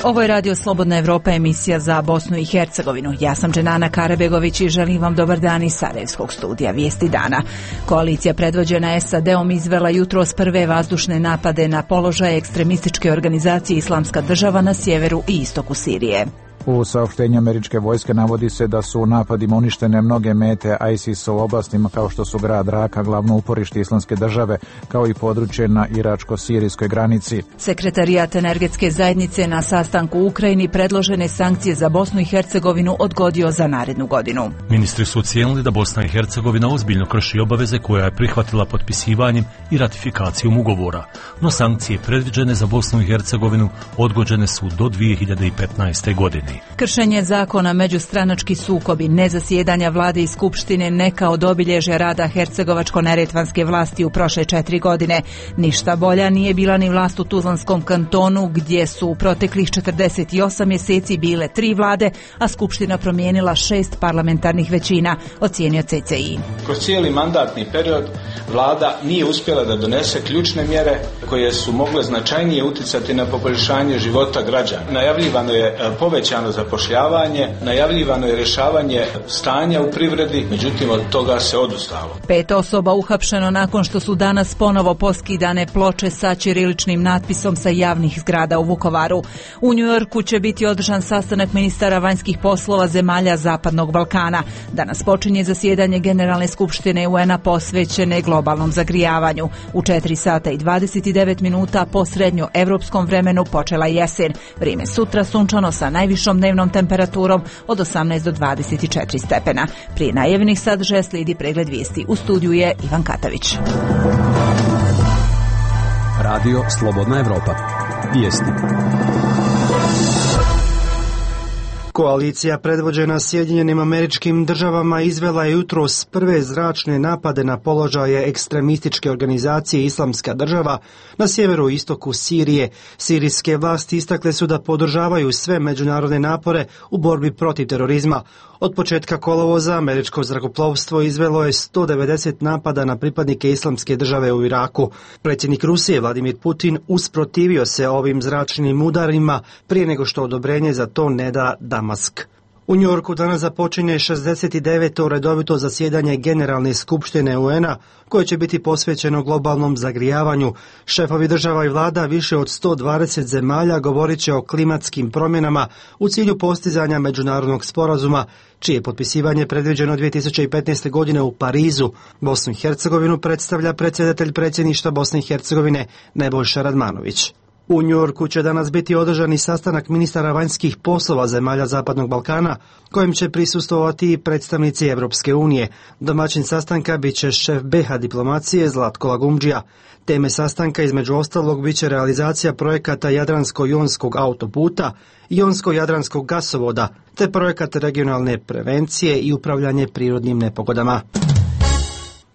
Ovo je Radio Slobodna Evropa, emisija za Bosnu i Hercegovinu. Ja sam Dženana Karabegović i želim vam dobar dan iz Sarajevskog studija Vijesti dana. Koalicija predvođena SAD-om izvela jutros prve vazdušne napade na položaje ekstremističke organizacije Islamska država na sjeveru i istoku Sirije. U saopštenju američke vojske navodi se da su u napadima uništene mnoge mete ISIS-a u oblastima kao što su grad Raka, glavno uporište Islamske države, kao i područje na iračko-sirijskoj granici. Sekretarijat energetske zajednice na sastanku u Ukrajini predložene sankcije za Bosnu i Hercegovinu odgodio za narednu godinu. Ministri su ocijenili da Bosna i Hercegovina ozbiljno krši obaveze koje je prihvatila potpisivanjem i ratifikacijom ugovora, no sankcije predviđene za Bosnu i Hercegovinu odgođene su do 2015. godine. Kršenje zakona, međustranački sukobi, nezasjedanja vlade i skupštine neka od obilježja rada hercegovačko-neretvanske vlasti u prošle 4 godine. Ništa bolja nije bila ni vlast u Tuzlanskom kantonu, gdje su u proteklih 48 mjeseci bile 3 vlade, a skupština promijenila 6 parlamentarnih većina, ocijenio CCI. Kroz cijeli mandatni period vlada nije uspjela da donese ključne mjere koje su mogle značajnije utjecati na poboljšanje života građana. Najavljivano je povećano zapošljavanje, najavljivano je rješavanje stanja u privredi, međutim od toga se odustalo. 5 osoba uhapšeno nakon što su danas ponovo poskidane ploče sa ćiriličnim natpisom sa javnih zgrada u Vukovaru. U Njujorku će biti održan sastanak ministara vanjskih poslova zemalja Zapadnog Balkana. Danas počinje zasjedanje Generalne skupštine UN-a posvećene globalnom zagrijavanju. U 4 sata i 29 minuta po srednjoevropskom vremenu počela jesen. Vrijeme sutra sunčano sa najvišom dnevnom temperaturom od 18 do 24 stepena. Prije najavljenih sadržaja slijedi pregled vijesti. U studiju je Ivan Katavić. Radio Slobodna Evropa. Vijesti. Koalicija predvođena Sjedinjenim Američkim Državama izvela je jutros prve zračne napade na položaje ekstremističke organizacije Islamska država na sjeveru i istoku Sirije. Sirijske vlasti istakle su da podržavaju sve međunarodne napore u borbi protiv terorizma. Od početka kolovoza američko zrakoplovstvo izvelo je 190 napada na pripadnike Islamske države u Iraku. Predsjednik Rusije Vladimir Putin usprotivio se ovim zračnim udarima prije nego što odobrenje za to ne da Damask. U Njujorku danas započinje 69. redovito zasjedanje Generalne skupštine UN-a koje će biti posvećeno globalnom zagrijavanju. Šefovi država i vlada više od 120 zemalja govorit će o klimatskim promjenama u cilju postizanja međunarodnog sporazuma, čije potpisivanje predviđeno 2015. godine u Parizu. Bosnu i Hercegovinu predstavlja predsjedatelj predsjedništva Bosne i Hercegovine Nebojša Radmanović. U Njujorku će danas biti održani sastanak ministara vanjskih poslova zemalja Zapadnog Balkana, kojem će prisustvovati i predstavnici Europske unije. Domaćin sastanka bit će šef BiH diplomacije Zlatko Lagumdžija. Teme sastanka između ostalog bit će realizacija projekata Jadransko-jonskog autoputa, Jonsko-jadranskog gasovoda, te projekat regionalne prevencije i upravljanje prirodnim nepogodama.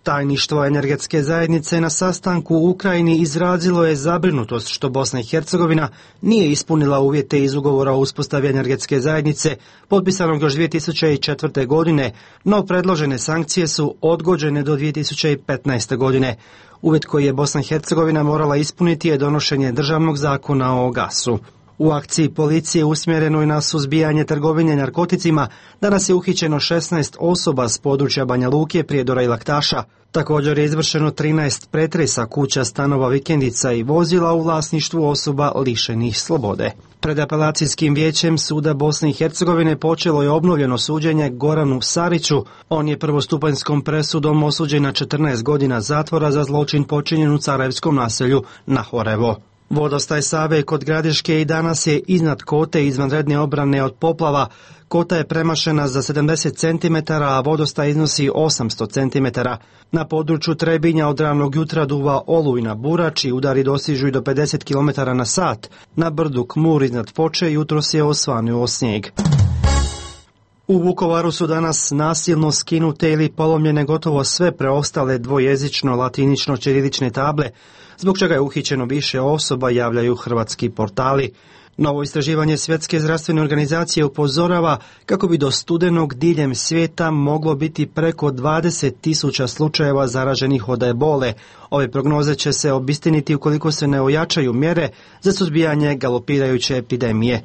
Tajništvo energetske zajednice na sastanku u Ukrajini izrazilo je zabrinutost što Bosna i Hercegovina nije ispunila uvjete iz ugovora o uspostavi energetske zajednice potpisanog još 2004. godine, no predložene sankcije su odgođene do 2015. godine. Uvjet koji je Bosna i Hercegovina morala ispuniti je donošenje državnog zakona o gasu. U akciji policije usmjerenoj na suzbijanje trgovine narkoticima danas je uhićeno 16 osoba s područja Banja Luke, Prijedora i Laktaša. Također je izvršeno 13 pretresa kuća, stanova, vikendica i vozila u vlasništvu osoba lišenih slobode. Pred apelacijskim vijećem suda Bosne i Hercegovine počelo je obnovljeno suđenje Goranu Sariću. On je prvostupanjskom presudom osuđen na 14 godina zatvora za zločin počinjen u Sarajevskom naselju Nahorevo. Vodostaj Save kod Gradiške i danas je iznad kote izvanredne obrane od poplava. Kota je premašena za 70 cm, a vodostaj iznosi 800 cm. Na području Trebinja od ranog jutra duva olujna burač i udari dosižu i do 50 km na sat. Na brdu Kmur iznad Foče jutros je osvanuo snijeg. U Vukovaru su danas nasilno skinute ili polomljene gotovo sve preostale dvojezično latinično-ćirilične table, zbog čega je uhićeno više osoba, javljaju hrvatski portali. Novo istraživanje Svjetske zdravstvene organizacije upozorava kako bi do studenog diljem svijeta moglo biti preko 20.000 slučajeva zaraženih od ebole. Ove prognoze će se obistiniti ukoliko se ne ojačaju mjere za suzbijanje galopirajuće epidemije.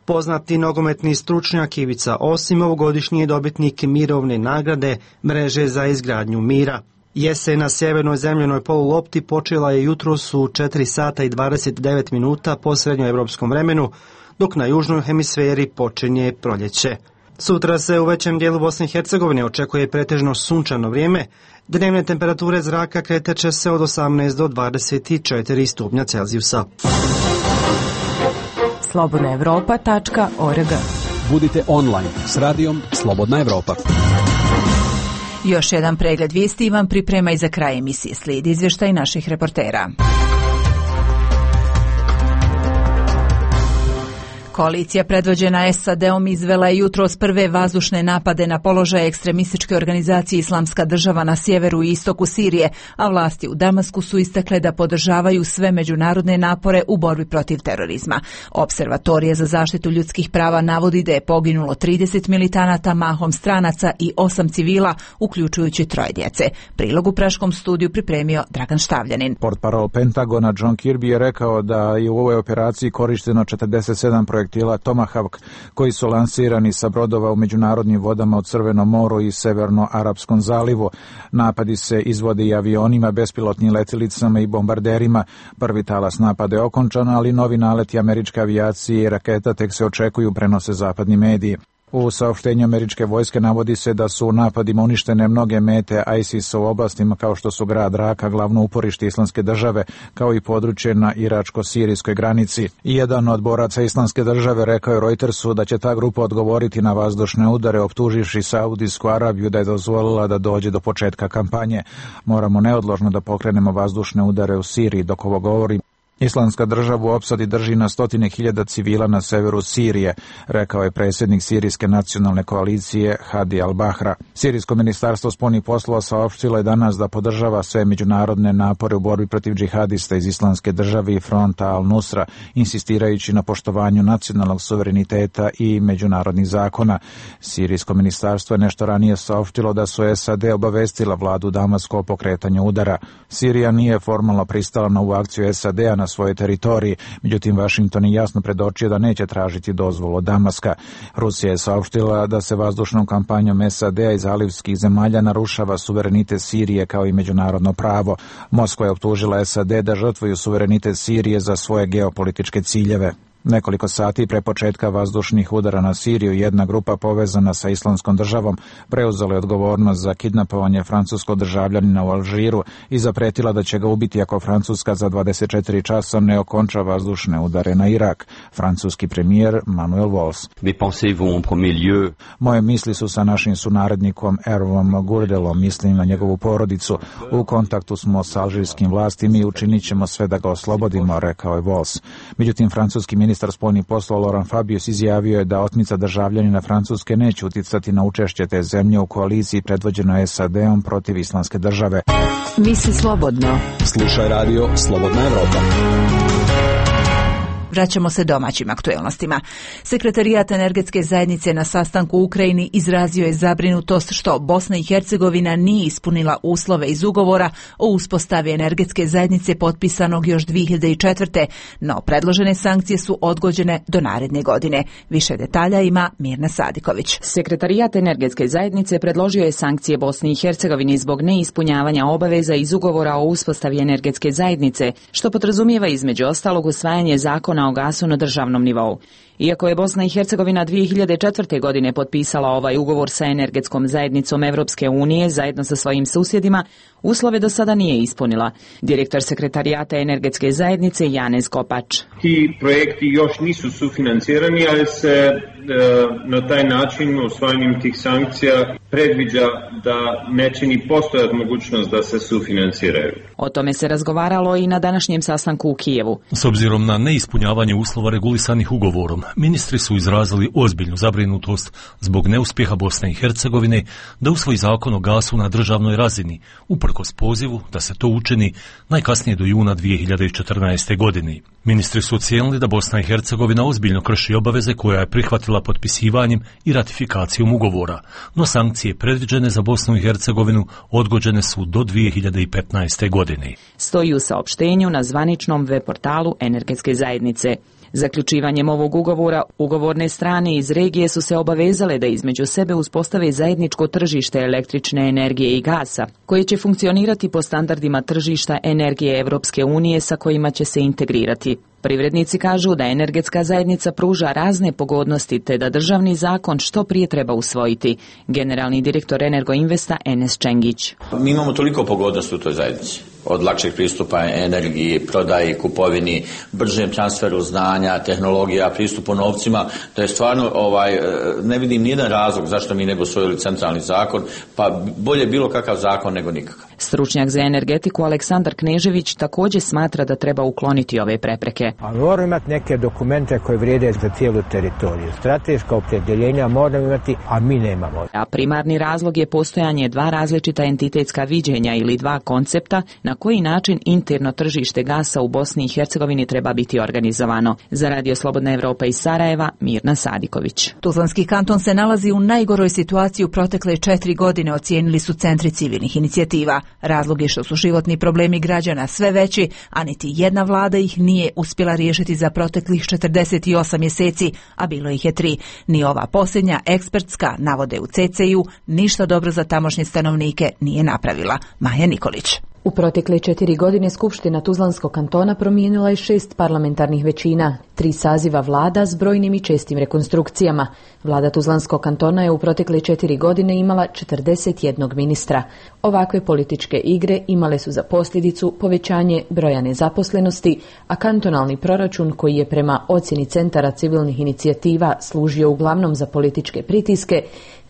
Poznati nogometni stručnjak Ivica Osim ovogodišnji je dobitnik mirovne nagrade Mreže za izgradnju mira. Jesen na sjevernoj zemljenoj polulopti počela je jutros u 4 sata i 29 minuta po srednjoevropskom vremenu, dok na južnoj hemisferi počinje proljeće. Sutra se u većem dijelu Bosne i Hercegovine očekuje pretežno sunčano vrijeme. Dnevne temperature zraka kretat će se od 18 do 24 stupnja Celzijusa. slobodnaevropa.org. Budite online s radijom Slobodna Evropa. Još jedan pregled vijesti vam priprema i za kraj emisije slijedi izvještaj naših reportera. Koalicija predvođena SAD-om izvela je jutros prve vazdušne napade na položaje ekstremističke organizacije Islamska država na sjeveru i istoku Sirije, a vlasti u Damasku su istakle da podržavaju sve međunarodne napore u borbi protiv terorizma. Observatorija za zaštitu ljudskih prava navodi da je poginulo 30 militanata, mahom stranaca i 8 civila, uključujući 3 djece. Prilog u praškom studiju pripremio Dragan Štavljanin. Portparol Pentagona John Kirby je rekao da je u ovoj operaciji korišteno 47 projektila Tomahawk koji su lansirani sa brodova u međunarodnim vodama u Crvenom moru i Severno-Arapskom zalivu. Napadi se izvode i avionima, bespilotnim letjelicama i bombarderima. Prvi talas napada je okončan, ali novi naleti američke avijacije i raketa tek se očekuju, prenose zapadni mediji. U saopštenju američke vojske navodi se da su u napadima uništene mnoge mete ISIS-a u oblastima kao što su grad Raka, glavno uporište Islamske države, kao i područje na iračko-sirijskoj granici. I jedan od boraca Islamske države rekao je Reutersu da će ta grupa odgovoriti na vazdušne udare, optuživši Saudijsku Arabiju da je dozvolila da dođe do početka kampanje. Moramo neodložno da pokrenemo vazdušne udare u Siriji, dok ovo govori. Islamska država u opsadi drži na 100.000 civila na severu Sirije, rekao je predsjednik Sirijske nacionalne koalicije Hadi al-Bahra. Sirijsko ministarstvo spoljnih poslova saopštilo je danas da podržava sve međunarodne napore u borbi protiv džihadista iz Islamske države i fronta al-Nusra, insistirajući na poštovanju nacionalnog suvereniteta i međunarodnih zakona. Sirijsko ministarstvo je nešto ranije saopštilo da su SAD obavestila vladu Damaska o pokretanju udara. Sirija nije formalno pristala na ovu akciju SAD-a na svojoj teritoriji, međutim Washington je jasno predočio da neće tražiti dozvolu od Damaska. Rusija je saopštila da se vazdušnom kampanjom SAD-a iz zalivskih zemalja narušava suverenitet Sirije kao i međunarodno pravo. Moskva je optužila SAD da žrtvuju suverenitet Sirije za svoje geopolitičke ciljeve. Nekoliko sati pre početka vazdušnih udara na Siriju, jedna grupa povezana sa Islamskom državom preuzela je odgovornost za kidnapovanje francuskog državljanina u Alžiru i zapretila da će ga ubiti ako Francuska za 24 časa ne okonča vazdušne udare na Irak. Francuski premijer Manuel Valls. Moje misli su sa našim sunarodnikom Hervom Gourdelom, mislim na njegovu porodicu. U kontaktu smo s alžirskim vlastima i učinit ćemo sve da ga oslobodimo, rekao je Valls. Međutim, francuski ministar spoljnih poslova Laurent Fabius izjavio je da otmica državljanina Francuske neće uticati na učešće te zemlje u koaliciji predvođenoj SAD-om protiv Islamske države. Misli slobodno. Slušaj radio Slobodna Evropa. Vraćamo se domaćim aktuelnostima. Sekretarijat energetske zajednice na sastanku u Ukrajini izrazio je zabrinutost što Bosna i Hercegovina nije ispunila uslove iz ugovora o uspostavi energetske zajednice potpisanog još 2004. No predložene sankcije su odgođene do naredne godine. Više detalja ima Mirna Sadiković. Sekretarijat energetske zajednice predložio je sankcije Bosni i Hercegovini zbog neispunjavanja obaveza iz ugovora o uspostavi energetske zajednice, što podrazumijeva između ostalog usvajanje zakona o gasu na državnom nivou. Iako je Bosna i Hercegovina 2004. godine potpisala ovaj ugovor sa energetskom zajednicom Evropske unije zajedno sa svojim susjedima, uslove do sada nije ispunila. Direktor sekretarijata energetske zajednice Janez Kopač. Ti projekti još nisu sufinancirani, ali se na taj način usvajanjem tih sankcija predviđa da neće ni postojati mogućnost da se sufinanciraju. O tome se razgovaralo i na današnjem sastanku u Kijevu. S obzirom na neispunjavanje uslova regulisanih ugovorom, ministri su izrazili ozbiljnu zabrinutost zbog neuspjeha Bosne i Hercegovine da usvoji zakon o gasu na državnoj razini, uprkos pozivu da se to učini najkasnije do juna 2014. godine. Ministri su ocijenili da Bosna i Hercegovina ozbiljno krši obaveze koja je prihvatila potpisivanjem i ratifikacijom ugovora, no sankcije predviđene za Bosnu i Hercegovinu odgođene su do 2015. godine. Stoji u saopštenju na zvaničnom web portalu Energetske zajednice. Zaključivanjem ovog ugovora, ugovorne strane iz regije su se obavezale da između sebe uspostave zajedničko tržište električne energije i gasa, koje će funkcionirati po standardima tržišta energije Evropske unije sa kojima će se integrirati. Privrednici kažu da energetska zajednica pruža razne pogodnosti te da državni zakon što prije treba usvojiti. Generalni direktor Energoinvesta Enes Čengić. Mi imamo toliko pogodnosti u toj zajednici. Od lakšeg pristupa energiji, prodaji, kupovini, bržem transferu znanja, tehnologija, pristupu novcima, da je stvarno ne vidim nijedan razlog zašto mi ne bi usvojili centralni zakon, pa bolje bilo kakav zakon nego nikakav. Stručnjak za energetiku Aleksandar Knežević također smatra da treba ukloniti ove prepreke. A moramo imati neke dokumente koje vrijede za cijelu teritoriju. Strateška opredjeljenja moramo imati, a mi nemamo. A primarni razlog je postojanje dva različita entitetska viđenja ili dva koncepta na koji način interno tržište gasa u Bosni i Hercegovini treba biti organizovano. Za Radio Slobodna Evropa iz Sarajeva, Mirna Sadiković. Tuzlanski kanton se nalazi u najgoroj situaciji u protekle 4 godine, ocijenili su centri civilnih inicijativa. Razlog je što su životni problemi građana sve veći, a niti jedna vlada ih nije uspjela riješiti za proteklih 48 mjeseci, a bilo ih je 3. Ni ova posljednja ekspertska, navode u CCU, ništa dobro za tamošnje stanovnike nije napravila. Maja Nikolić. U protekle 4 godine Skupština Tuzlanskog kantona promijenila je 6 parlamentarnih većina, 3 saziva vlada s brojnim i čestim rekonstrukcijama. Vlada Tuzlanskog kantona je u protekle 4 godine imala 41 ministra. Ovakve političke igre imale su za posljedicu povećanje broja nezaposlenosti, a kantonalni proračun, koji je prema ocjeni centara civilnih inicijativa služio uglavnom za političke pritiske,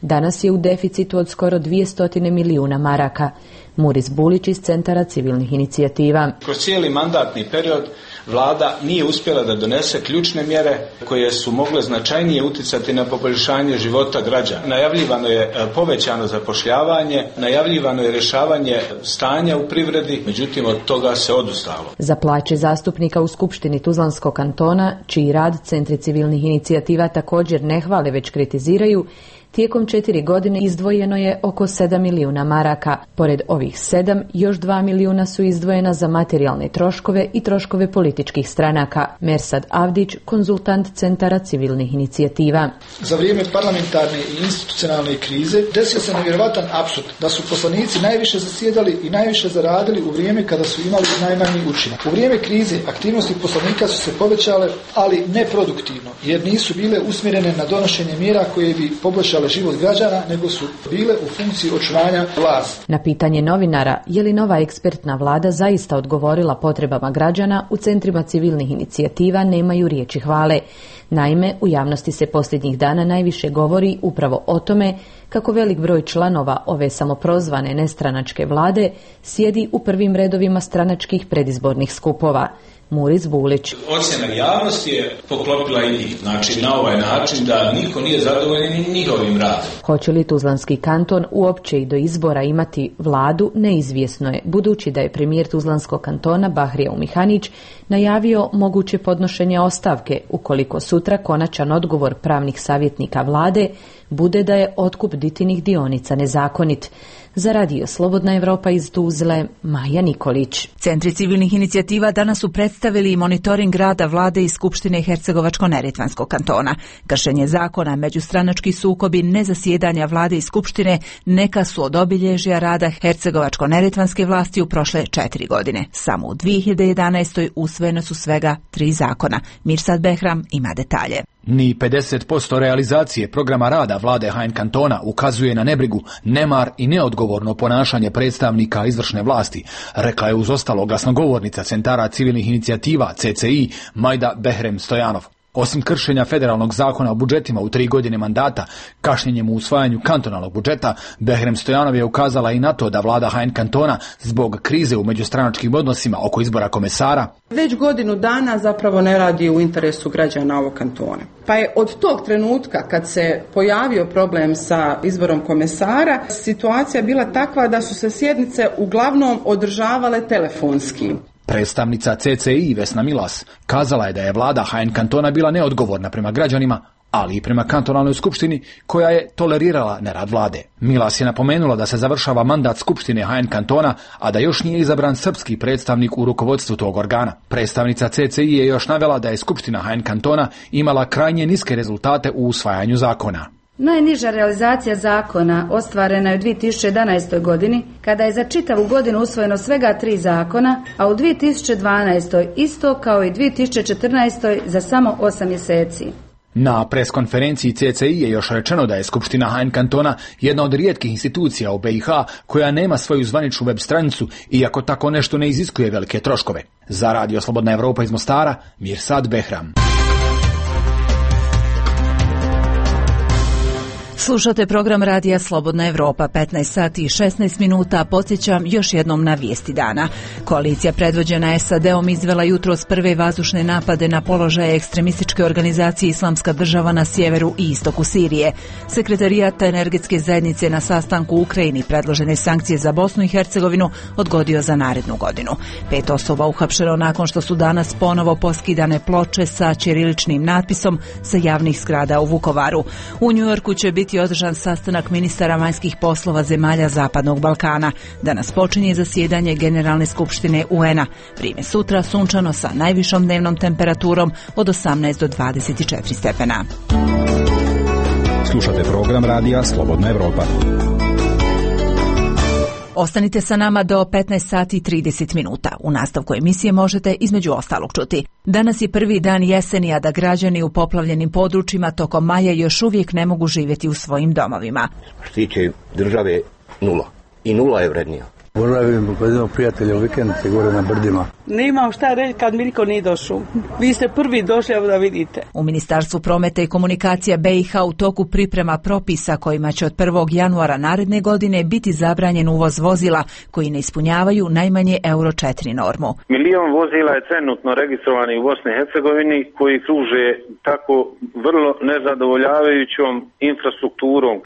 danas je u deficitu od skoro 200 milijuna maraka. Muris Bulić iz Centara civilnih inicijativa. Kroz cijeli mandatni period vlada nije uspjela da donese ključne mjere koje su mogle značajnije utjecati na poboljšanje života građana. Najavljivano je povećano zapošljavanje, najavljivano je rješavanje stanja u privredi, međutim od toga se odustalo. Za plaće zastupnika u Skupštini Tuzlanskog kantona, čiji rad centri civilnih inicijativa također ne hvale već kritiziraju, tijekom 4 godine izdvojeno je oko 7 milijuna maraka. Pored ovih 7, još 2 milijuna su izdvojena za materijalne troškove i troškove političkih stranaka. Mersad Avdić, konzultant Centara civilnih inicijativa. Za vrijeme parlamentarne i institucionalne krize desio se nevjerovatan apsurd da su poslanici najviše zasjedali i najviše zaradili u vrijeme kada su imali najmanji učinak. U vrijeme krize aktivnosti poslanika su se povećale, ali neproduktivno, jer nisu bile usmjerene na donošenje mjera koje bi poboljšale život građana, nego su bile u funkciji očuvanja vlasti. Na pitanje novinara je li nova ekspertna vlada zaista odgovorila potrebama građana, u centrima civilnih inicijativa nemaju riječi hvale. Naime, u javnosti se posljednjih dana najviše govori upravo o tome kako velik broj članova ove samoprozvane nestranačke vlade sjedi u prvim redovima stranačkih predizbornih skupova. Muris Bulić. Ocjena javnosti je poklopila i njih. Znači, na ovaj način da niko nije zadovoljen njihovim radom. Hoće li Tuzlanski kanton uopće i do izbora imati vladu, neizvjesno je, budući da je premijer Tuzlanskog kantona Bahrija Umihanić najavio moguće podnošenje ostavke ukoliko sutra konačan odgovor pravnih savjetnika vlade bude da je otkup Ditinih dionica nezakonit. Za Radio Slobodna Evropa iz Tuzle, Maja Nikolić. Centri civilnih inicijativa danas su predstavili monitoring rada vlade i Skupštine Hercegovačko-Neretvanskog kantona. Kršenje zakona, međustranački sukobi, nezasjedanja vlade i Skupštine neka su od obilježja rada Hercegovačko-Neretvanske vlasti u prošle 4 godine. Samo u 2011. usvojene su svega 3 zakona. Mirsad Behram ima detalje. Ni 50% realizacije programa rada vlade HN kantona ukazuje na nebrigu, nemar i neodgovorno ponašanje predstavnika izvršne vlasti, rekla je uz ostalo glasnogovornica Centara civilnih inicijativa CCI Majda Behrem Stojanov. Osim kršenja federalnog zakona o budžetima u 3 godine mandata, kašnjenjem u usvajanju kantonalnog budžeta, Behrem Stojanov je ukazala i na to da vlada Hein kantona zbog krize u međustranačkim odnosima oko izbora komesara već godinu dana zapravo ne radi u interesu građana ovog kantona. Pa je od tog trenutka kad se pojavio problem sa izborom komesara, situacija bila takva da su se sjednice uglavnom održavale telefonski. Predstavnica CCI Vesna Milas kazala je da je vlada Hein kantona bila neodgovorna prema građanima, ali i prema kantonalnoj skupštini koja je tolerirala nerad vlade. Milas je napomenula da se završava mandat skupštine Hein kantona, a da još nije izabran srpski predstavnik u rukovodstvu tog organa. Predstavnica CCI je još navela da je skupština Hein kantona imala krajnje niske rezultate u usvajanju zakona. Najniža realizacija zakona ostvarena je u 2011. godini, kada je za čitavu godinu usvojeno svega 3 zakona, a u 2012. isto kao i 2014. za samo 8 mjeseci. Na preskonferenciji CCI je još rečeno da je Skupština Hein kantona jedna od rijetkih institucija u BiH koja nema svoju zvaničnu web stranicu, iako tako nešto ne iziskuje velike troškove. Za Radio Slobodna Evropa iz Mostara, Mirsad Behram. Slušate program Radija Slobodna Evropa, 15 sati i 16 minuta. Podsjećam još jednom na vijesti dana. Koalicija predvođena SAD-om izvela jutros prve vazdušne napade na položaje ekstremističke organizacije Islamska država na sjeveru i istoku Sirije. Sekretarijat energetske zajednice na sastanku u Ukrajini predložene sankcije za Bosnu i Hercegovinu odgodio za narednu godinu. 5 osoba uhapšeno nakon što su danas ponovo poskidane ploče sa ćiriličnim natpisom sa javnih zgrada u Vukovaru. U Njujorku će biti održan sastanak ministara vanjskih poslova zemalja Zapadnog Balkana. Danas počinje zasjedanje Generalne skupštine UN-a. Vrijeme sutra sunčano sa najvišom dnevnom temperaturom od 18 do 24 stepena. Slušate program Radija Slobodna Evropa. Ostanite sa nama do 15 sati i 30 minuta. U nastavku emisije možete između ostalog čuti. Danas je prvi dan jeseni, a da građani u poplavljenim područjima tokom maja još uvijek ne mogu živjeti u svojim domovima. Što tiče države, 0. I 0 je vrednija. Boravim kod jednog prijatelja u vikendice gore na brdima. Nemam šta reći kad mi niko nije došao. Vi ste prvi došli, evo da vidite. U Ministarstvu prometa i komunikacija BiH u toku priprema propisa kojima će od 1. januara naredne godine biti zabranjen uvoz vozila koji ne ispunjavaju najmanje Euro 4 normu. 1 milion vozila je trenutno registrovani u Bosni i Hercegovini koji kruže tako vrlo nezadovoljavajućom infrastrukturom.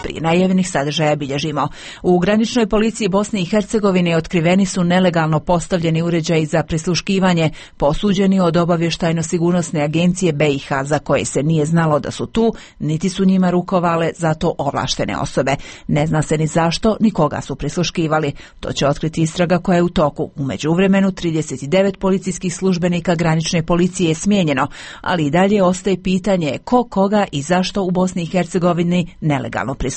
Prije najavljenih sadržaja bilježimo. U graničnoj policiji Bosne i Hercegovine otkriveni su nelegalno postavljeni uređaji za prisluškivanje, posuđeni od obavještajno-sigurnosne agencije BiH, za koje se nije znalo da su tu, niti su njima rukovale zato ovlaštene osobe. Ne zna se ni zašto, ni koga su prisluškivali. To će otkriti istraga koja je u toku. U međuvremenu 39 policijskih službenika granične policije je smijenjeno, ali i dalje ostaje pitanje ko, koga i zašto u Bosni i Hercegovini nelegalno prisluškuje.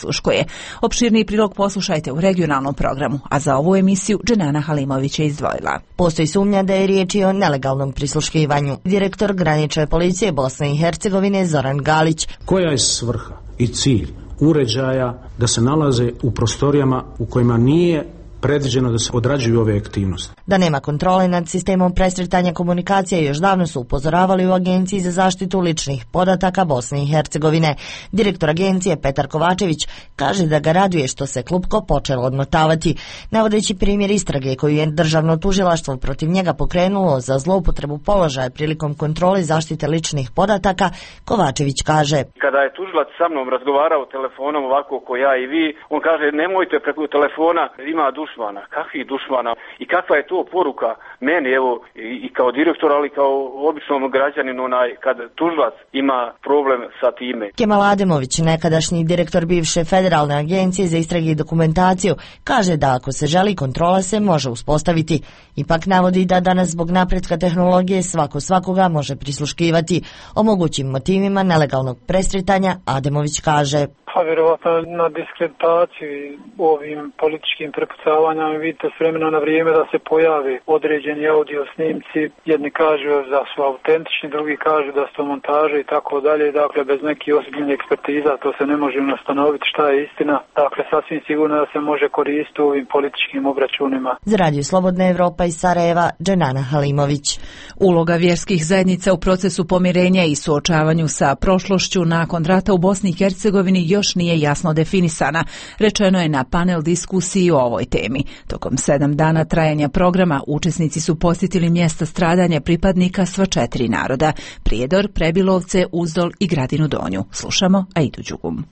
Opširniji prilog poslušajte u regionalnom programu, a za ovu emisiju Dženana Halimović je izdvojila. Postoji sumnja da je riječ i o nelegalnom prisluškivanju. Direktor granične policije Bosne i Hercegovine Zoran Galić. Koja je svrha i cilj uređaja da se nalaze u prostorijama u kojima nije predviđeno da se odrađuju ove aktivnosti? Da nema kontrole nad sistemom presretanja komunikacije još davno su upozoravali u Agenciji za zaštitu ličnih podataka Bosne i Hercegovine. Direktor agencije Petar Kovačević kaže da ga raduje što se klupko počelo odmotavati. Navodeći primjer istrage koju je državno tužilaštvo protiv njega pokrenulo za zloupotrebu položaja prilikom kontrole zaštite ličnih podataka, Kovačević kaže: Kada je tužilac sa mnom razgovarao telefonom ovako ko ja i vi, on kaže nemojte preko telefona, ima dušmana. Kakvih dušmana? I kakva je to poruka meni, evo, i kao direktor, ali kao običnom građaninu, kad tužilac ima problem sa time. Kemal Ademović, nekadašnji direktor bivše Federalne agencije za istrage i dokumentaciju, kaže da ako se želi, kontrola se može uspostaviti. Ipak navodi da danas zbog napretka tehnologije svako svakoga može prisluškivati. O mogućim motivima nelegalnog presretanja Ademović kaže: Pa vjerovatno na diskreditaciji ovim političkim prepucavanjama. Vidite s vremena na vrijeme da se pojave određeni audio snimci. Jedni kažu da su autentični, drugi kažu da su montaže i tako dalje. Dakle, bez nekih ozbiljnih ekspertiza to se ne može ustanoviti šta je istina. Dakle, sasvim sigurno da se može koristiti u ovim političkim obračunima. Za Radio Slobodna Evropa iz Sarajeva, Dženana Halimović. Uloga vjerskih zajednica u procesu pomirenja i suočavanju sa prošlošću nakon rata u Bosni i Hercegovini još nije jasno definisana, rečeno je na panel diskusiji o ovoj temi. Tokom 7 dana trajanja programa učesnici su posjetili mjesta stradanja pripadnika sva 4 naroda: Prijedor, Prebilovce, Uzdol i Gradinu Donju. Slušamo Aidu Đugum.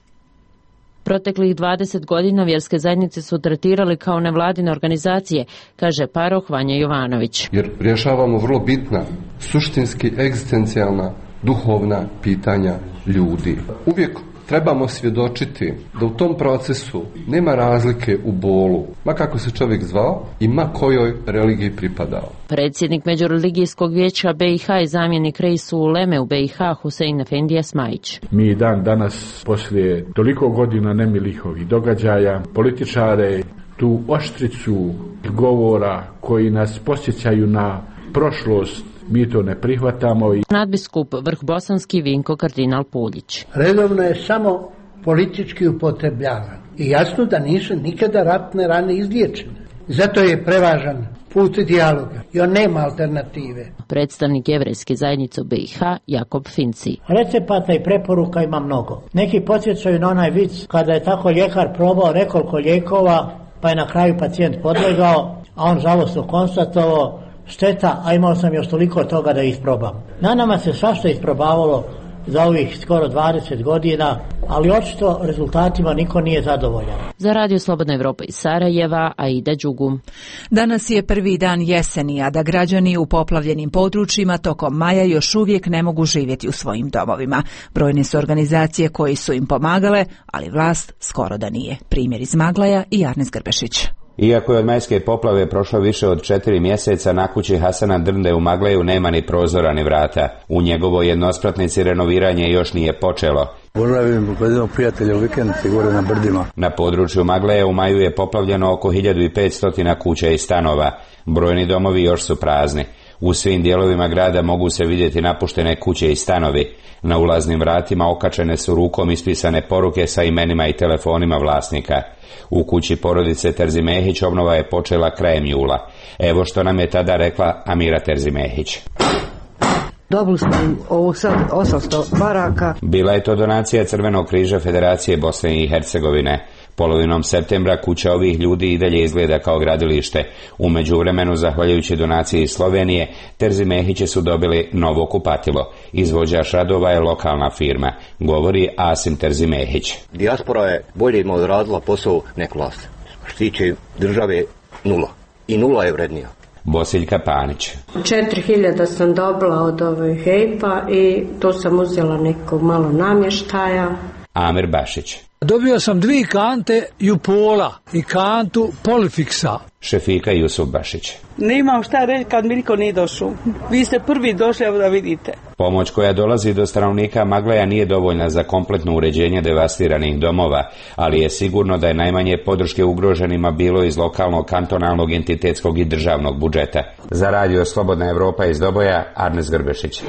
Proteklih 20 godina vjerske zajednice su tretirali kao nevladine organizacije, kaže paroh Vanja Jovanović. Jer rješavamo vrlo bitna, suštinski egzistencijalna, duhovna pitanja ljudi. Uvijek trebamo svjedočiti da u tom procesu nema razlike u bolu, ma kako se čovjek zvao i ma kojoj religiji pripadao. Predsjednik Međureligijskog vijeća BiH i zamjenik reisu uleme u BiH Husein Efendija Smajić. Mi dan danas, poslije toliko godina nemilih ovih događaja, političare tu oštricu govora koji nas podsjećaju na prošlost, mi to ne prihvatamo. Nadbiskup Vrhbosanski Vinko kardinal Puljić. Redovno je samo politički upotrebljavan i jasno da nisu nikada ratne rane izliječene. Zato je prevažan put dijaloga i on nema alternative. Predstavnik jevrejske zajednice u BiH Jakob Finci. Recepata i preporuka ima mnogo. Neki podsjećaju na onaj vic kada je tako ljekar probao nekoliko lijekova pa je na kraju pacijent podlegao, a on žalostno konstatovao: šteta, a imao sam još toliko toga da isprobam. Na nama se svašta isprobavalo za ovih skoro 20 godina, ali očito rezultatima niko nije zadovoljan. Za Radio Slobodna Evropa iz Sarajeva, Aida Đugum. Danas je prvi dan jeseni, a da građani u poplavljenim područjima tokom maja još uvijek ne mogu živjeti u svojim domovima. Brojne su organizacije koji su im pomagale, ali vlast skoro da nije. Primjer iz Maglaja i Arnes Grbešić. Iako je od majske poplave prošlo više od 4 mjeseca, na kući Hasana Drnde u Magleju nema ni prozora ni vrata. U njegovoj jednospratnici renoviranje još nije počelo. Boravim kod jednog prijatelja u vikendici gore na brdima. Na području Magleja u maju je poplavljeno oko 1500 kuća i stanova. Brojni domovi još su prazni. U svim dijelovima grada mogu se vidjeti napuštene kuće i stanovi. Na ulaznim vratima okačene su rukom ispisane poruke sa imenima i telefonima vlasnika. U kući porodice Terzimehić obnova je počela krajem jula. Evo što nam je tada rekla Amira Terzimehić. Dobili smo ovo sad 800 baraka. Bila je to donacija Crvenog križa Federacije Bosne i Hercegovine. Polovinom septembra kuća ovih ljudi i dalje izgleda kao gradilište. U međuvremenu, zahvaljujući donaciji iz Slovenije, Terzimehići su dobili novo kupatilo. Izvođač radova je lokalna firma, govori Asim Terzimehić. Dijaspora je bolje ima odradila posao nek vlast. Što tiče države, nula. I nula je vrednija. Bosiljka Panić. 4000 sam dobila od HEP-a i to sam uzela nekog malo namještaja. Amir Bašić. Dobio sam 2 kante Jupola i kantu Polifiksa. Šefika Jusuf Bašić. Nemam šta reći kad mi niko nije došao. Vi ste prvi došli, evo da vidite. Pomoć koja dolazi do stanovnika Magleja nije dovoljna za kompletno uređenje devastiranih domova, ali je sigurno da je najmanje podrške ugroženima bilo iz lokalnog, kantonalnog, entitetskog i državnog budžeta. Za Radio Slobodna Evropa iz Doboja, Arnes Grbešić.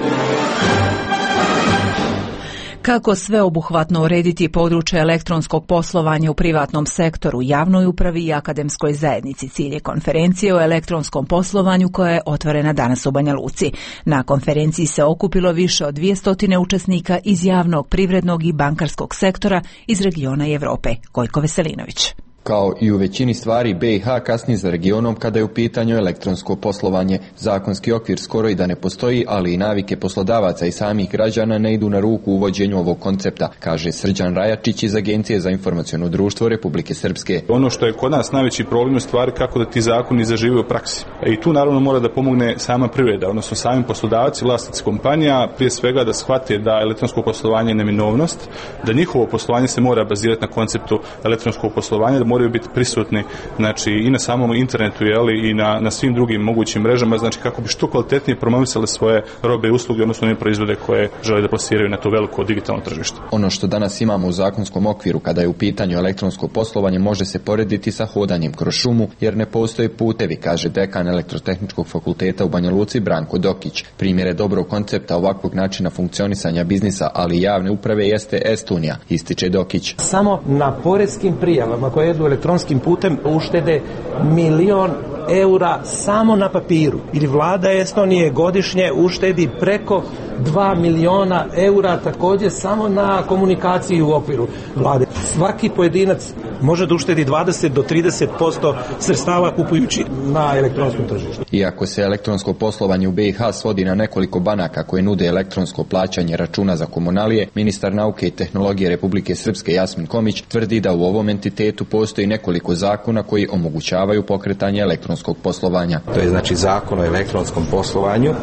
Kako sveobuhvatno urediti područje elektronskog poslovanja u privatnom sektoru, javnoj upravi i akademskoj zajednici, cilj je konferencije o elektronskom poslovanju koja je otvorena danas u Banja Luci. Na konferenciji se okupilo više od 200 učesnika iz javnog, privrednog i bankarskog sektora iz regiona i Europe. Gojko Veselinović. Kao i u većini stvari, BiH kasni za regionom kada je u pitanju elektronsko poslovanje. Zakonski okvir skoro i da ne postoji, ali i navike poslodavaca i samih građana ne idu na ruku uvođenju ovog koncepta, kaže Srđan Rajačić iz Agencije za informaciono društvo Republike Srpske. Ono što je kod nas najveći problem je stvari kako da ti zakoni zažive u praksi. I tu naravno mora da pomogne sama privreda, odnosno sami poslodavci, vlasnici kompanija, prije svega da shvate da elektronsko poslovanje je neminovnost, da njihovo poslovanje se mora bazirati na konceptu elektronskog poslovanja, da moraju biti prisutni, znači i na samom internetu, i na svim drugim mogućim mrežama, znači kako bi što kvalitetnije promovisali svoje robe i usluge, odnosno one proizvode koje žele da plasiraju na to veliko digitalno tržište. Ono što danas imamo u zakonskom okviru kada je u pitanju elektronsko poslovanje može se porediti sa hodanjem kroz šumu, jer ne postoje putevi, kaže dekan Elektrotehničkog fakulteta u Banja Luci Branko Dokić. Primjere dobrog koncepta ovakvog načina funkcionisanja biznisa, ali i javne uprave jeste Estonija, ističe Dokić. Samo na poreskim prijavama koje idu elektronskim putem uštede 1.000.000 eura samo na papiru. Ili vlada Estonije godišnje uštedi preko 2 miliona eura također samo na komunikaciji u okviru vlade. Svaki pojedinac može da uštedi 20 do 30% sredstava kupujući na elektronskom tržištu. Iako se elektronsko poslovanje u BiH svodi na nekoliko banaka koje nude elektronsko plaćanje računa za komunalije, ministar nauke i tehnologije Republike Srpske Jasmin Komić tvrdi da u ovom entitetu postoji nekoliko zakona koji omogućavaju pokretanje elektronskog poslovanja. To je znači zakon o elektronskom poslovanju,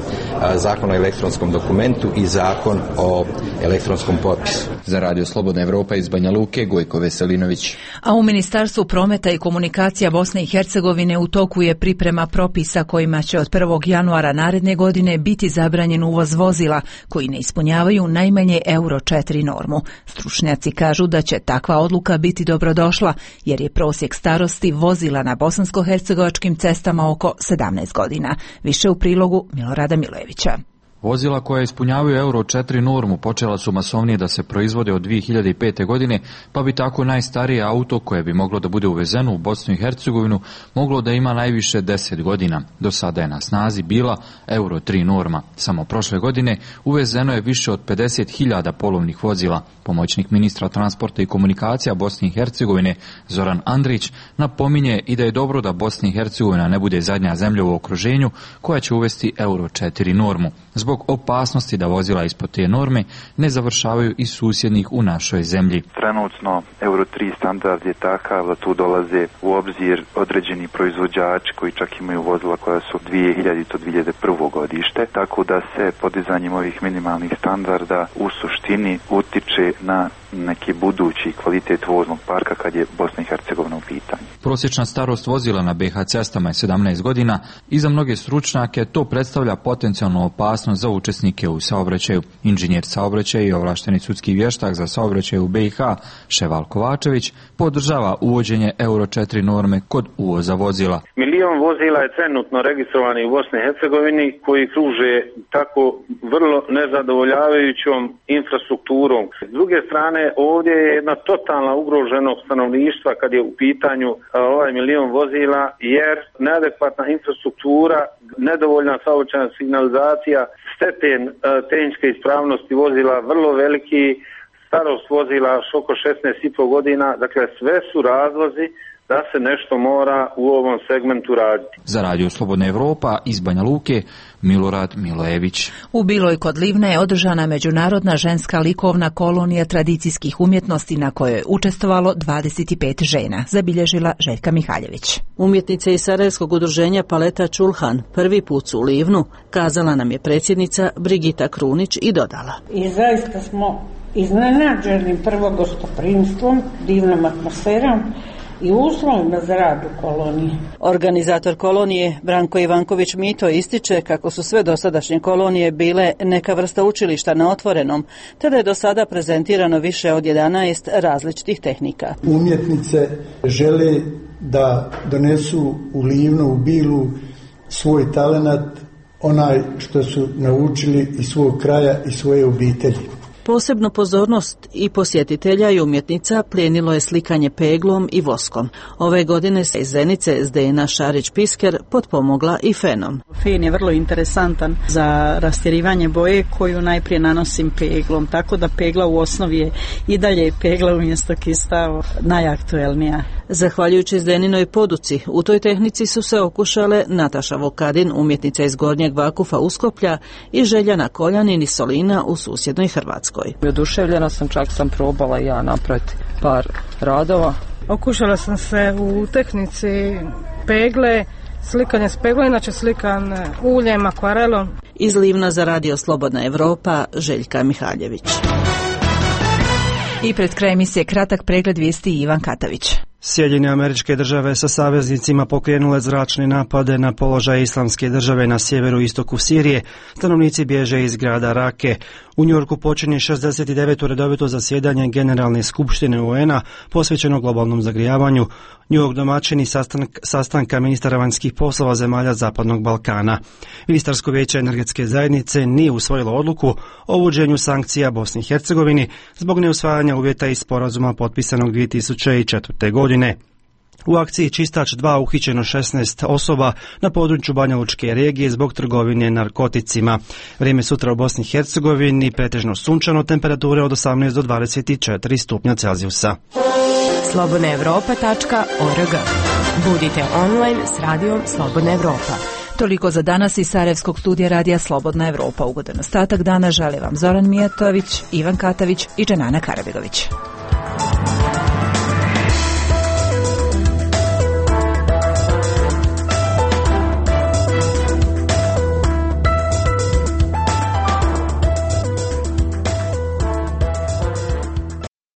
zakon o elektronskom dokumentu i zakon o elektronskom potpisu. Za Radio Slobodna Evropa iz Banja Luke, Gojko Veselinović. A u Ministarstvu prometa i komunikacija Bosne i Hercegovine u toku je priprema propisa kojima će od 1. januara naredne godine biti zabranjen uvoz vozila koji ne ispunjavaju najmanje Euro 4 normu. Stručnjaci kažu da će takva odluka biti dobrodošla jer je prosjek starosti vozila na bosansko-hercegovačkim cestama oko 17 godina. Više u prilogu Milorada Milojevića. Vozila koja ispunjavaju Euro 4 normu počela su masovnije da se proizvode od 2005. godine, pa bi tako najstarije auto koje bi moglo da bude uvezeno u Bosnu i Hercegovinu moglo da ima najviše 10 godina. Do sada je na snazi bila Euro 3 norma. Samo prošle godine uvezeno je više od 50.000 polovnih vozila. Pomoćnik ministra transporta i komunikacija Bosne i Hercegovine Zoran Andrić napominje i da je dobro da Bosna i Hercegovina ne bude zadnja zemlja u okruženju koja će uvesti Euro 4 normu. Zbog opasnosti da vozila ispod te norme ne završavaju i susjednih u našoj zemlji. Trenutno Euro 3 standard je takav da tu dolaze u obzir određeni proizvođači koji čak imaju vozila koja su 2000-2001. godište, tako da se podizanjem ovih minimalnih standarda u suštini utiče na neki budući kvalitet voznog parka kad je Bosna i Hercegovina u pitanju. Prosječna starost vozila na BiH cestama je 17 godina i za mnoge stručnjake to predstavlja potencijalnu opasnost za učesnike u saobraćaju. Inženjer saobraćaja i ovlašteni sudski vještak za saobraćaj u BiH Ševal Kovačević podržava uvođenje Euro 4 norme kod uvoza vozila. 1 milion vozila je trenutno registrovani u Bosni i Hercegovini koji kruže tako vrlo nezadovoljavajućom infrastrukturom. S druge strane, ovdje je jedna totalna ugroženost stanovništva kad je u pitanju ovaj 1 milion vozila, jer neadekvatna infrastruktura, nedovoljna saobraćajna signalizacija, stepen tehničke ispravnosti vozila vrlo veliki, starost vozila oko 16,5 godina, dakle sve su razlozi da se nešto mora u ovom segmentu raditi. Za Radio Slobodna Evropa iz Banja Luke, Milorad Milojević. U Biloj kod Livne je održana međunarodna ženska likovna kolonija tradicijskih umjetnosti na kojoj je učestvovalo 25 žena, zabilježila Željka Mihaljević. Umjetnice iz Sarajevskog udruženja Paleta Čulhan prvi put su u Livnu, kazala nam je predsjednica Brigita Krunić i dodala. I zaista smo iznenađeni prvo gostoprimstvom, divnom atmosferom i uslovima za rad u koloniji. Organizator kolonije Branko Ivanković Mito ističe kako su sve dosadašnje kolonije bile neka vrsta učilišta na otvorenom, te da je do sada prezentirano više od 11 različitih tehnika. Umjetnice žele da donesu u Livnu, u Bilu svoj talenat, onaj što su naučili iz svog kraja i svoje obitelji. Posebnu pozornost i posjetitelja i umjetnica plijenilo je slikanje peglom i voskom. Ove godine se iz Zenice Zdena Šarić-Pisker potpomogla i fenom. Fen je vrlo interesantan za rastjerivanje boje koju najprije nanosim peglom, tako da pegla u osnovi je i dalje pegla umjesto kista najaktuelnija. Zahvaljujući Zdeninoj poduci, u toj tehnici su se okušale Nataša Vokadin, umjetnica iz Gornjeg Vakufa Uskoplja, i Željana Koljanin iz Solina u susjednoj Hrvatskoj. Oduševljena sam, čak sam probala i ja napraviti par radova. Okušala sam se u tehnici pegle, slikanje s peglom, inače slikan uljem, akvarelom. Iz Livna za Radio Slobodna Evropa, Željka Mihaljević. I pred kraj emisije kratak pregled vijesti Ivan Katavić. Sjedinjene Američke Države sa saveznicima pokrenule zračne napade na položaj Islamske države na sjeveru i istoku Sirije. Stanovnici bježe iz grada Rake. U Njujorku počinje 69. redovito zasjedanje Generalne skupštine UN-a posvećeno globalnom zagrijavanju. Njujork domaćini sastanka ministara vanjskih poslova zemalja Zapadnog Balkana. Ministarsko vijeće energetske zajednice nije usvojilo odluku o uvođenju sankcija Bosni i Hercegovini zbog neusvajanja uvjeta iz sporazuma potpisanog 2004. godine. U akciji Čistač 2 uhićeno 16 osoba na području Banja Lučke regije zbog trgovine narkoticima. Vrijeme sutra u Bosni i Hercegovini pretežno sunčano, temperature od 18 do 24 stupnja Celzijusa. slobodnaevropa.org. Budite online s radijom Slobodna Evropa. Toliko za danas iz Sarajevskog studija radija Slobodna Evropa. Ugodan ostatak dana žele vam Zoran Mijatović, Ivan Katavić i Dženana Karabegović.